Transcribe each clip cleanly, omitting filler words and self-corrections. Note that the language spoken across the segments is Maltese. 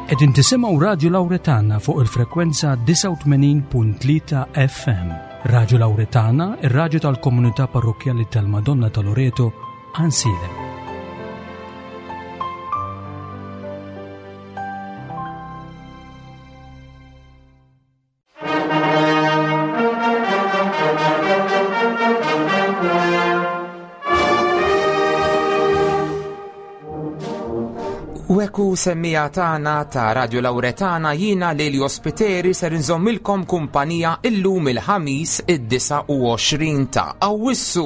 Qegħdin tisimgħu Radju Lawretana fuq il-frekwenza 89.3 FM. Radju Lawretana, ir-radju tal-komunità parrokkjali tal-Madonna ta' Loreto, Ansilem. U ekku semmija tagħna ta' Radio Lauretana jiena Lelio Spiteri ser inżommilkom kumpanija illum il-ħamis id-29 ta' Awwissu.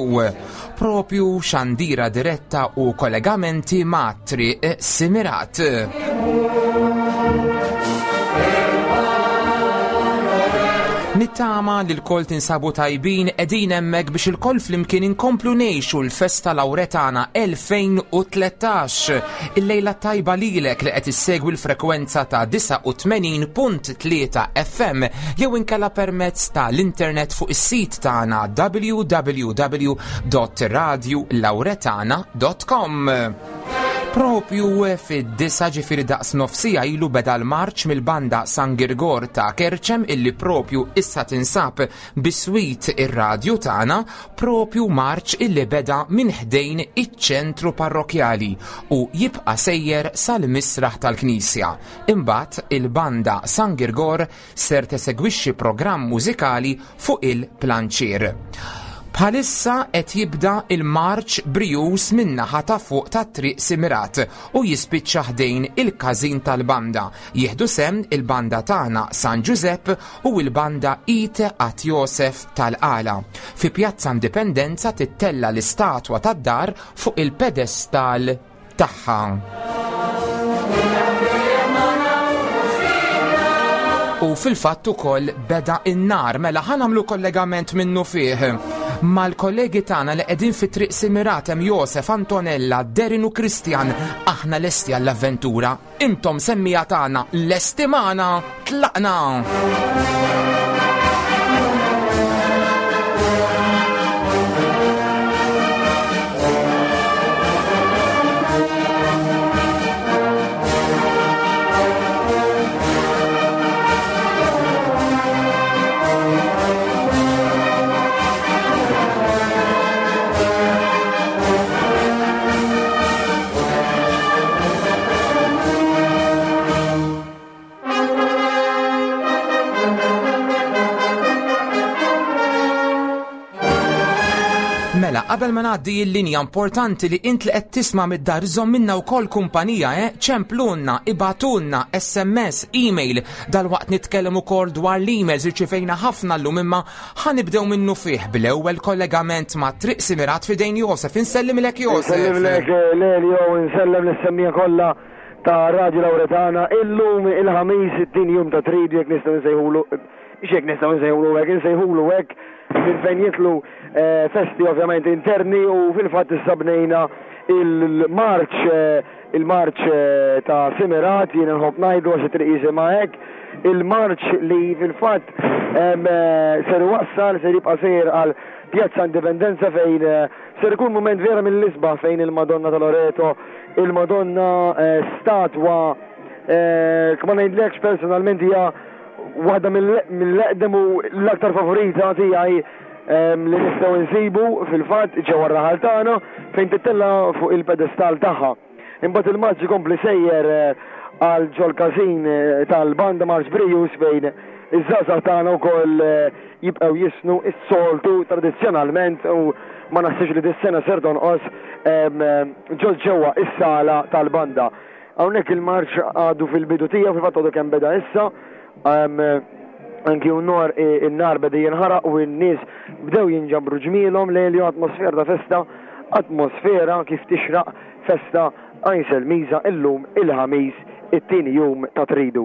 Propju xandira diretta u kollegamenti ma' Triq Simirat. Nittama li l-koll tinsabu tajbin edin emmek biex il-koll flimkien inkomplu nejxu l-festa Lauretana 2013. Il-lejla tajba lilek li qed issegwi l-frekwenza ta' 89.3 FM jew inkella permezz ta' l-internet fuq is-sit tagħna www.radiolauretana.com. Propju fid-disa ġifiri daqs nofsija ilu beda l-marċ mill-banda San Girgor ta' Kerċem illi propju issa tinsab biswit ir-radju tagħna, propju marċ illi beda minn ħdejn iċ-ċentru parrokjali u jibqa' sejjer sal-misraħ tal-Knisja. Imbagħad il-banda San Girgor ser tesegwixxi programm mużikali fuq il-planċier. Bħalissa qed jibda il-marċ brijuż min-naħa ta' fuq tat-Triq Simirat u jispiċċa ħdejn il-każin tal-banda. Jieħdu sehem il-banda tagħna San Ġużepp u l-banda Ite At Josef tal-Qala. Fi Pjazza Indipendenza tittella' l-istatwa tad-dar fuq il-pedestal tagħha. U fil-fatt ukoll beda in-nar mela ħa nagħmlu kollegament minnu fih mal-kollegi tagħna li qegħdin fi triq Simirat hemm Josef, Antonella, Derin u Kristjan. Aħna lesti għall-avventura. Intom semmija tagħna lesti magħna tlaqna! Mela, qabel ma ngħaddi l-linja importanti li int li qed tisma' mid-dar iżomm minna wkoll kumpanija, eh? Ċemplunna, ibatulna, SMS, email. Dalwaqt nitkellem ukoll dwar l-emails irċivejna ħafna llum imma Ħa nibdew minnu fih bl-ewwel kollegament ma' Triq Simirat f'idejn Josef. Insellimlek Josef. Insellimlek Lelio u nsellem lis-semmiegħa kollha ta' Radio Lauretana. Illum il-Ħamis it-tieni jum ta' tridu jekk nistgħu nsejħulu x'jekk nistgħu nsejħulu hekk, insejħulu hekk minn fejn jidħlu eh, festi ovvjament interni u fil-fatt issa bnejna il-marċ eh, Il-marċ ta' Simirat, jien inħobb ngħidu għax it-triq jisimha hekk, il-marċ li fil-fatt ser iwassal, ser jibqa' sejjer għal Pjazza Indipendenza fejn ser ikun mument vera mill-isbaħ fejn il-Madonna ta' Loreto, il-Madonna statwa, ma ngħidlekx personalment hija waħda mill-eqdem u l-aktar favorita tiegħi li nistgħu nsibu fil-fatt ġewwa r-raħal tagħna fejn tittella fuq il-pedestal tagħha. Imbagħad il-marċ ikompli sejjer eh, għal ġol każin eh, tal-banda Marx Brius fejn iż-żgħażagħ tagħna wkoll eh, jibqgħu jisnu s-soltu tradizzjonalment u ma naħsibx li dis-sena ser tonqos ġol ġewwa is-sala tal-banda. Hawnhekk il-marċ għadu fil-bidu tiegħu fil-fatt għadu kemm beda issa. Anki un-nar in-nar beda jinħaraq u n-nies bdew jinġabru ġmielhom lejl atmosfera ta' festa, atmosfera kif tixraq festa Għajn Miża illum il-Ħamis it-tieni jum ta' Tridu.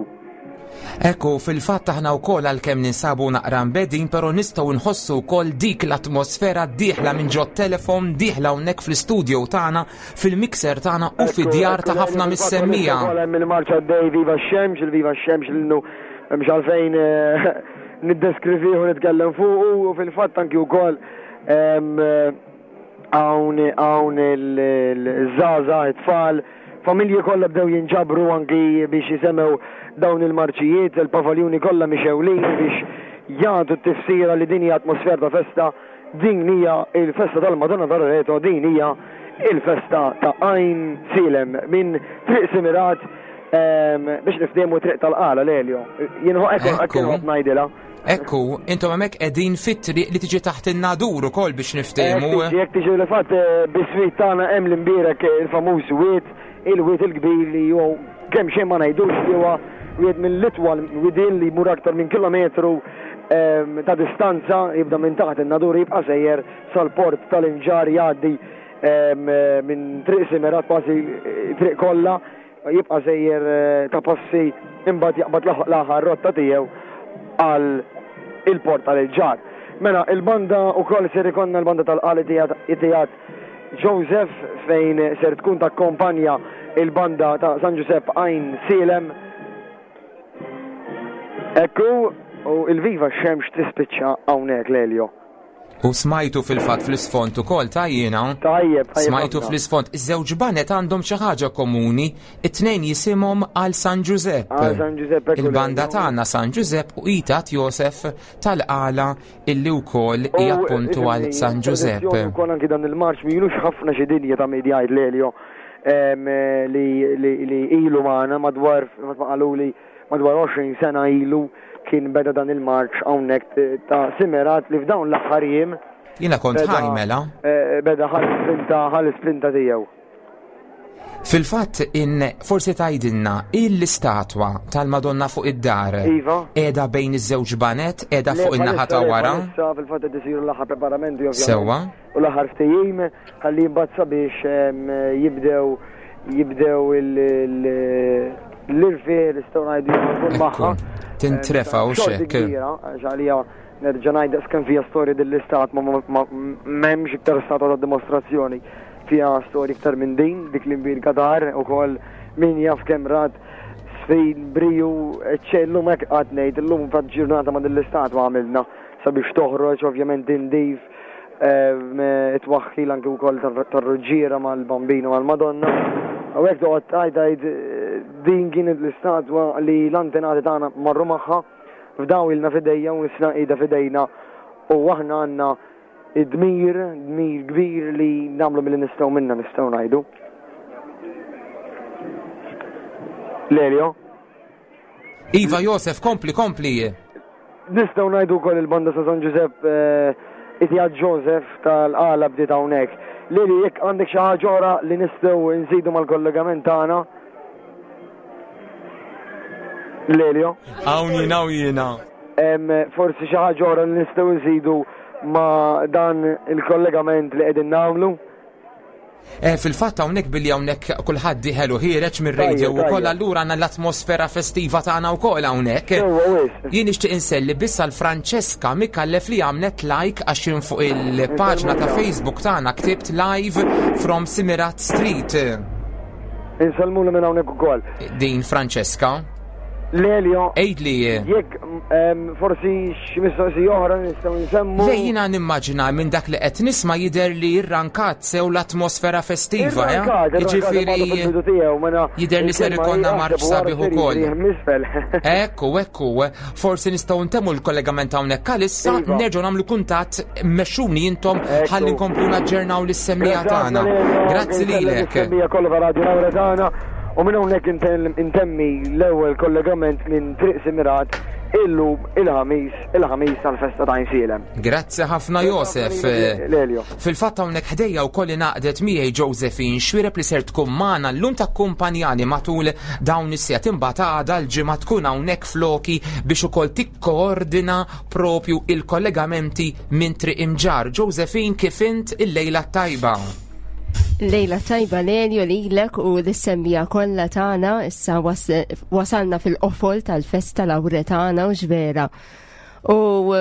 Ekku, fil-fatt aħna wkoll għalkemm ninsabu naqra mbedin, però nistgħu nħossu wkoll dik l-atmosfera dieħla minn ġot telefon, dieħla hawnhekk fl-istudio tagħna fil-mixer tagħna u fid-djar ta' ħafna mis-semmija. Hemm il-marċa dej Viva x-Xemx, il-Viva x-Xemx l-innu hemmx għalfejn eh, niddeskrivih u nitkellem fuq u fil-fatt anki wkoll hawn hawn il-żgħażagħ it-tfal. Familji kollha bdew jinġabru anki biex jisemgħu dawn il-marċijiet, il-pavaljuni kollha mixewlin biex jagħtu t-tifsira li din hija atmosfera ta' festa, din hija il-festa tal-Madonna ta' Loreto, din hija il-festa ta' Għajn Sielem minn Triq Simirat ehm, biex niftehmu Triq tal-Qala Lelio. Jien hekk hekk ngħidilha. Ekku, intom hemmhekk qegħdin fit-triq li tiġi taħt in-nadur ukoll biex niftehmu. Jekk tiġi li fatt eh, biswit tagħna hemm l-imbierek eh, il-famuż wied, il-wied il-kbir li hu kemm xejn ma ngħidux li huwa wieħed mill-itwal widien li jmur aktar minn kilometru ehm, ta' distanza jibda minn taħt in-nadur jibqa' sejjer sal-port tal-Imġar jgħaddi ehm, minn triq Simerat kważi eh, triq kollha Jibqa' sejjer ta' passi imbagħad jaqbad l-aħħar rotta tiegħu għal il-port tal-ġar. Mela, il-banda wkoll ser ikonna l-banda tal-qali Itijat Joseph fejn ser tkun takkompanja il-banda ta' San Giuseppe Għajn Sielem. Ekku, u il-Viva Xemx tispiċċa hawnhekk Lelio. U smajtu fil-fatt fl-isfond ukoll ta' jiena. Tajjeb, tajjeb. Smajtu fl-isfond. Iż-żewġ banet għandhom xi ħaġa komuni, it-tnejn jisimhom għal San Ġużepp. Għal San Ġużepp. Il-banda tagħna San Ġużepp u Itat Josef tal-qala illi wkoll hija appuntu għal San Ġużepp. Ukoll anki dan il-marċ milux ħafna xi dinja ta' media jgħid Lelio li ilu magħna madwar ma qaluli Madwar 20 sena ilu kien beda dan il-marċ hawnhekk ta' Simerat li f'dawn l-aħħar jiem. Jiena kont ħaj mela. Eh, beda ħal spinta ħal spinta tiegħu. Fil-fatt in forsi tgħidilna il-istatwa tal-Madonna fuq id-dar. Iva. Qiegħda bejn iż-żewġ banet, qiegħda fuq in-naħa ta' wara. Issa fil-fatt qed isiru l-aħħar preparamenti ovvjament. Sewwa. U l-aħħar ftehim ħalli mbagħad sabiex jibdew jibdew l-irfieħ nistgħu ngħidu jkun magħha. Tintrefa u xek. Għax għalija nerġa' ngħid daqskemm fiha storja din l-istat ma m'hemmx iktar statwa ta' dimostrazzjoni fiha storja iktar minn din dik li mbir Qatar ukoll min jaf kemm rat sfin briju ċellum hekk qatt ngħid illum fatt ġurnata ma' din l-istatwa għamilna sabiex toħroġ ovvjament indif it-twaħħil anki wkoll tar-ruġġiera mal-Bambino mal-Madonna. U hekk toqgħod tgħid tgħid din kienet l-istatwa li l-antenati tagħna marru magħha f'daw ilna f'idejja u issa qiegħda f'idejna u aħna għandna id-dmir, dmir kbir li nagħmlu milli nistgħu minna nistgħu ngħidu. Lelio? Iva Josef, kompli, kompli. Nistgħu ngħidu wkoll il-banda sa San Ġużepp eh, Itjad Joseph tal-qala bdiet hawnhekk. Lili, jekk għandek xi ħaġa oħra li nistgħu nżidu mal-kollegament tagħna. Lelio. Hawn jiena hawn jiena. Forsi xi ħaġa oħra li nistgħu nżidu ma' dan il-kollegament li qegħdin nagħmlu. Eh, fil-fatt hawnhekk billi hawnhekk kulħadd dieħel u ħiereġ mir-radio wkoll allura għandna l-atmosfera festiva tagħna wkoll hawnhekk. Jien nixtieq inselli biss għal Francesca Mikallef li għamlet like għax jien fuq il-paġna ta' Facebook tagħna ktibt live from Simirat Street. Insellmulu minn hawnhekk ukoll. Din Francesca. Lelio. Ejdli. Jekk forsi xi mistoqsija oħra nistgħu nsemmu. Le jiena nimmaġina minn dak li qed nisma' jidher li rrankat sew l-atmosfera festiva, eh? Jiġifieri mela jidher li ser ikollna marċ sabiħ ukoll. Ekku, ekku, forsi nistgħu ntemmu l-kollegament hawnhekk għalissa iva. nerġgħu nagħmlu kuntatt mexxuni intom ħalli nkomplu naġġernaw lis-semmija tagħna. Grazzi lilek. U minn hawnhekk intemmi l-ewwel kollegament minn Triq Simirat illum il-ħamis, il-ħamis tal-festa ta' Għajnsielem. Grazzi ħafna Josef. Lelio. Fil-fatt hawnhekk ħdejja wkoll ingħaqdet miegħi Josephine Xwireb li ser tkun magħna llum takkumpanjani matul dawn is-sigħat imbagħad għada l-ġimgħa tkun hawnhekk floki biex ukoll tikkoordina propju il-kollegamenti minn Triq Imġarr. Josephine kif int il-lejla t-tajba? Lejla tajba Lelio lilek u l-semmija kollha tagħna issa wasalna fil-qofol tal-festa Lawretana u ġvera. U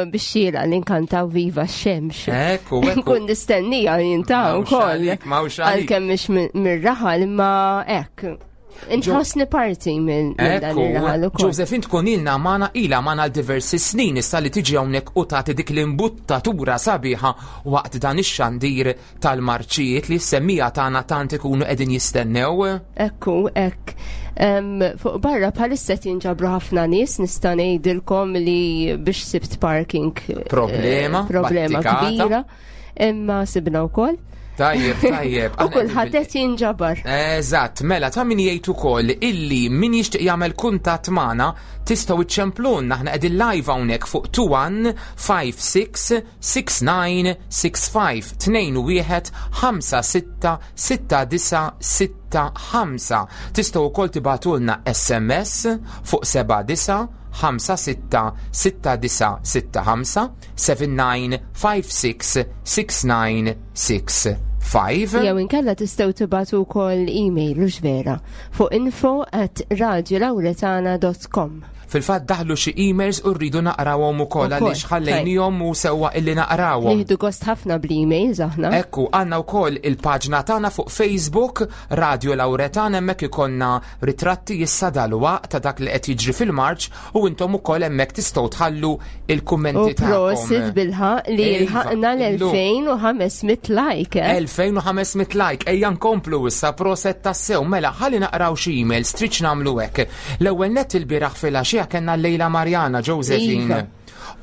biex xira li nkantaw Viva x-xemx. Ekku, ekku. Kun nistennija jintaw ukoll. Għalkemm mhix mir-raħal imma hekk. Inħossni parti minn dan ir-raħal ukoll. Josephine tkun ilna magħna ilha magħna għal diversi snin issa li tiġi hawnhekk u tagħti dik l-imbuttatura sabiħa waqt dan ix-xandir tal-marċijiet li s-semmija tagħna tant ikunu qegħdin jistennew. Ekku, hekk. Fuq barra bħalissa qed jinġabru ħafna nies nista' ngħidilkom li biex sibt parking eh, problema, problema kbira. Imma sibna wkoll. Tajjeb, tajjeb. U kulħadd qed jinġabar. Eżatt, mela ta' min jgħid ukoll illi min jixtieq jagħmel kuntatt magħna tistgħu iċċemplunna aħna qegħdin live hawnhekk fuq 21 56 69 65 21 56 69 65. Tistgħu wkoll tibagħtulna SMS fuq 79 56 69 65 79566965. Jew inkella tistgħu tibagħtu wkoll email u vera fuq info at radiolauretana.com. Fil-fatt daħlu xi emails u rridu naqrawhom ukoll għaliex ħallejnihom u sewwa illi naqrawhom. Nieħdu gost ħafna bl-emails aħna. Ekku, għandna wkoll il-paġna tagħna fuq Facebook Radio Lauretana hemmhekk ikollna ritratti issa dalwaqt ta' dak li qed jiġri fil-Marċ u intom ukoll hemmhekk tistgħu tħallu il-kummenti tagħkom. Prosit bilħaq li iva, lħaqna l-2500 like. 2500 eh? like, ejja nkomplu issa proset tassew, mela ħalli naqraw xi emails, tridx nagħmlu hekk. L-ewwel nett il-bieraħ filgħaxija kellna Lejla Marjana Josephine. Iva.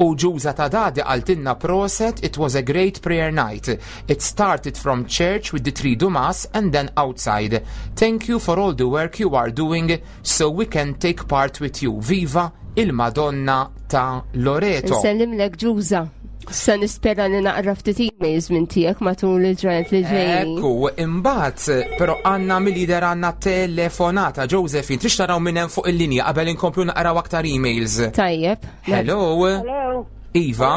U ġuża ta' dadi qaltilna proset, it was a great prayer night. It started from church with the Tridu Mass and then outside. Thank you for all the work you are doing so we can take part with you. Viva il-Madonna ta' Loreto. Nsellimlek ġuża. Sa nispera li naqra ftit emails minn tiegħek matul il-ġranet li ġejjin. Ekku, imbagħad però għandna mill-lider għandna telefonata Josephine, trix taraw minn hemm fuq il-linja qabel inkomplu naqraw aktar emails. Tajjeb. Hello. Hello. Iva.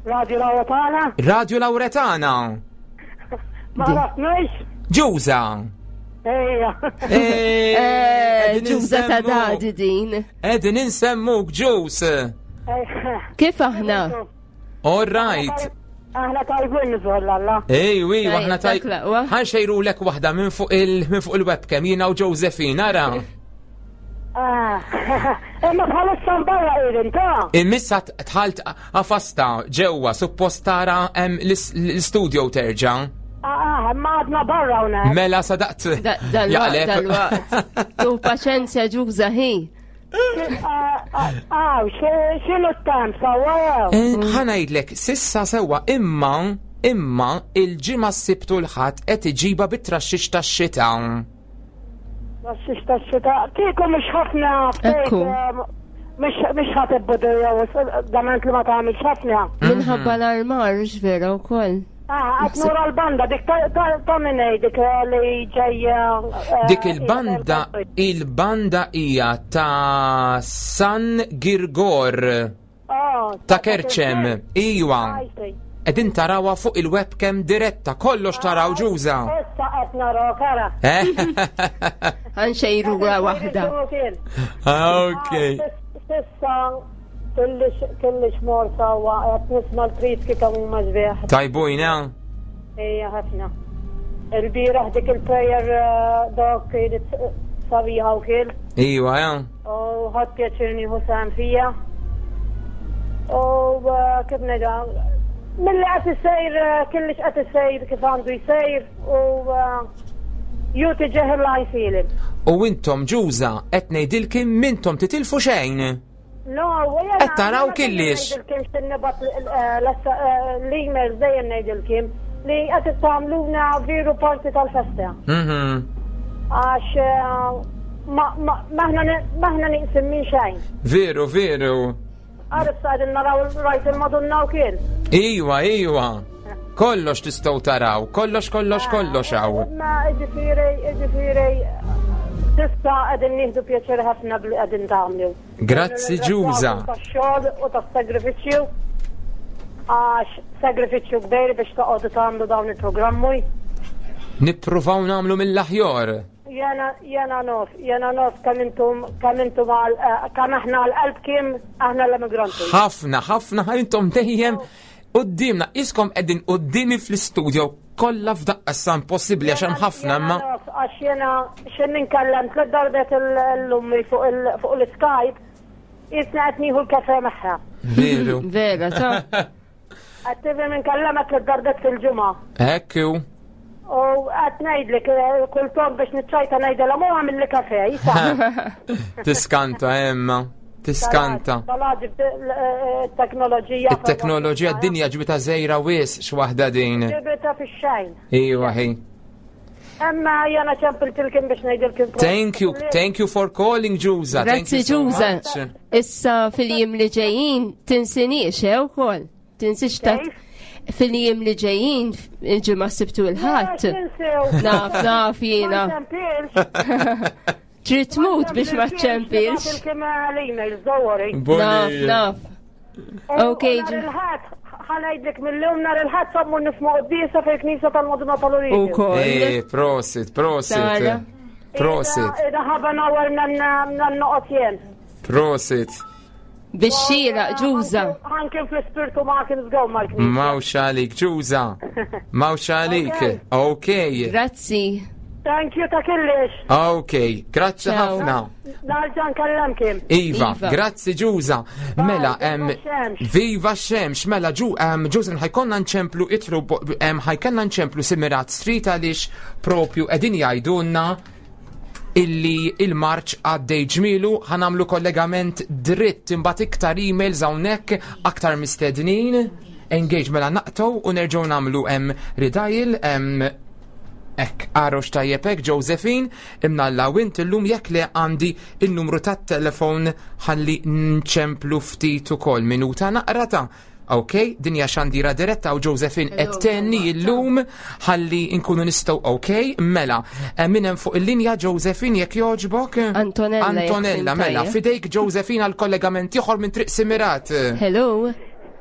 Radio Lauretana. Radio Lauretana. Ma nafnix. Ġuża. Ejja. Eh, eh, Ġuża ta' dadi din. Edin insemmuk ġuż. Kif aħna? All right. Aħna tajbin nżoll Alla. Ej, wi, aħna tajbin. Ħanxejru lek waħda minn fuq il-webcam jiena u Josephine, ara. Ah, imma bħalissa barra qegħdin ta'. Imissa tħalt għafasta ġewwa suppost tara hemm l-studio terġa'. Ah, ah, imma għadna barra hawnhekk. Mela sadaqt. Dal-waqt. Tu paċenzja ġuża ħi. Ah, x'inhu t-temp sewwa jew? Eh, ħa ngħidlek, sissa sewwa imma imma il-ġimgħa s-Sibt u l-Ħadd qed iġiba bit-traxxix tax-xita. Traxxix tax-xita. Kieku mhux ħafna Ekku. Mhux ħadd ibbudirja dament li ma tagħmilx ħafna. Minħabba l-armar vera wkoll. Ah, għad nura l-banda, dik ta' minnej, dik li ġejja. Eh, dik il-banda, il-banda hija ta' San Girgor. Oh, ta' Kerċem, iwa. Edin tarawa fuq il-webcam diretta, kollox taraw ġuża. Issa qed naraw kara. Eh? Għanxejru waħda. Ah, ok. Sissa kellix mor sawa qed nisma' l-priski kemm huma sbieħ. Tajbujna? Ejja ħafna. Il-bieraħ dik il-prayer eh, dok kienet sabiħa wkoll. Iwa, ja. U ħadd pjaċir nieħu sehem fija. U eh, kif ngħidha, milli qed isejr eh, kellix qed isejr kif għandu jsejr u eh, ju tiġeh il-għajfilin. U intom ġuża qed ngħidilkim mintom titilfu xejn. No, Qed taraw killix. Ngħidilkim x'innibat l-emails dejjem ngħidilkim li qed tagħmluna veru parti tal-festa. Mhm. Għax Maħna niqsim minn xejn. Veru, veru. Għarif sa' naraw rajt il-Madonna u kien. Iwa, iwa. Kollox tistgħu taraw, kollox, kollox, ah, kollox hawn. Ma ġifieri, ġifieri, tista' qegħdin nieħdu pjaċir ħafna bli qegħdin tagħmlu. Grazzi Ġuża. Tax-xogħol u tas-sagrifiċċju. Għax sagrifiċċju kbir biex toqgħodu tagħmlu dawn il-programmi. Nippruvaw nagħmlu mill-aħjar. Jena, jena nof, jena nof kemm intom, kemm intom għal, eh, kemm aħna għal qalbkim, aħna l-emigranti. Ħafna, ħafna, intom dejjem qudiemna, iskom qegħdin quddiemi fl-istudio kollha f'daqqa sa impossibbli għax hemm ħafna imma. għax jena xejn ninkellem tliet darbiet l-ummi fuq l-Skype, jisna qed nieħu l-kafe magħha. Veru. Vera, ta' Qed tifhem inkellemek tliet darbiet fil-ġimgħa. Hekk hu. U qed ngħidlek eh, kultant biex niċċajta ngħidilha mhu għamilli kafe, jisa. Tiskanta, Emma. Tiskanta. Talaġib eh, it-teknoloġija. It-teknoloġija d-dinja ġbita żejra wis x'waħda din. Ġibita fix-xejn. Iwa ħi. Emma jana ċempiltilkim biex ngħidilkim. Thank you, thank you for calling Ġuża. Thank Grazzi you so Ġuża. much. Issa fil-jiem li ġejjin tinsinix, eh, ukoll. Tinsix ta' fil-jiem li ġejjin il-ġimgħa sibtu il-ħadd. Naf, naf jiena. Trid tmut biex ma ċempilx. Kemm l-emails, don't worry. Naf, naf. Ok, U nhar il-Ħadd, ħanajdlek mill-lum nhar il-Ħadd sommu nisma' quddiesa fil-Knisja tal-Madonna tal-Oriġin. Ukoll. Eh, prosit, prosit. Tara. Prosit, Ida ħaba nawar nan noqgħod jien. prosit. Biex xira, Ġuża. Ħankin fl-ispirtu ma kien żgħu mal-knisja. Mawx għalik, Ġuża. Mawx għalik. Ok. Grazzi. Thank you ta' kellix. Ok, grazzi Ciao. ħafna. Narġa' nkellemkim. Iva, Iva. grazzi Ġuża. Mela, em, viva x-xemx. viva x-xemx, mela ġu, em, Ġuża, ħajkonna nċemplu itru, em, ħajkonna nċemplu Simirat Street għaliex propju edin jgħidulna illi il-marċ għaddej ġmilu ħanamlu kollegament dritt imbagħad iktar emails hawnhekk aktar mistednin engage mela naqtow u nerġgħu nagħmlu hemm redial hemm Ek, għarox tajjeb hekk, Josephine, imnalla u int illum jekk le għandi il-numru tat-telefon ħalli nċemplu ftit ukoll minuta naqra ta' Ok, dinja xandira diretta u Josephine qed tenni illum ħalli nkunu nistgħu ok, mela. Eh, Min hemm fuq il-linja Josephine jekk jogħġbok? Antonella, jekk Antonella, fim mela, tajjeb. fidejk Josephine għal kollegament ieħor minn Triq Simirat. Hello.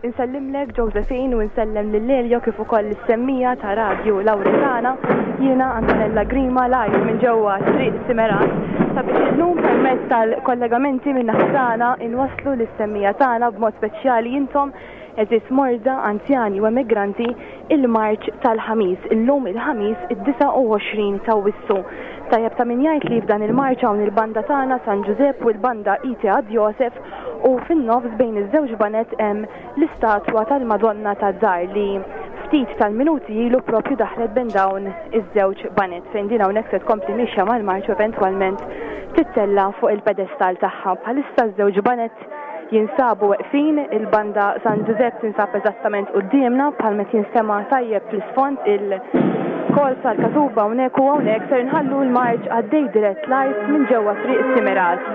Insellimlek Josephine u insellem lil Elio kif ukoll is-semmija ta' Radju Lauretana. Jiena Antonella Grima live minn ġewwa Triq Simerat sabiex illum permezz tal-kollegamenti minn naħa tagħna inwasslu lis-semmija tagħna b'mod speċjali intom eżis morda, anzjani u emigranti il-marċ tal-ħamis. Illum il-ħamis id-29 ta' Wissu. Tajjeb ta' min jgħid li f'dan il-marċ hawn il-banda tagħna San Ġużepp u l-banda Ite ad Josef u fin-nofs bejn iż-żewġ banet hemm l-istatwa tal-Madonna tad-Dar li ftit tal-minuti ilu propju daħlet bejn dawn iż-żewġ banet fejn din hawnhekk se tkompli mixja mal-marċ u eventwalment tittella fuq il-pedestal tagħha. Bħalissa ż-żewġ banet jinsabu weqfin, il-banda San Giuseppe tinsab eżattament quddiemna bħal meta jinstema' tajjeb fl-isfond il-kol tal-katuba hawnhekk u hawnhekk ser inħallu l-marċ għaddej dirett live minn ġewwa Triq Simirat.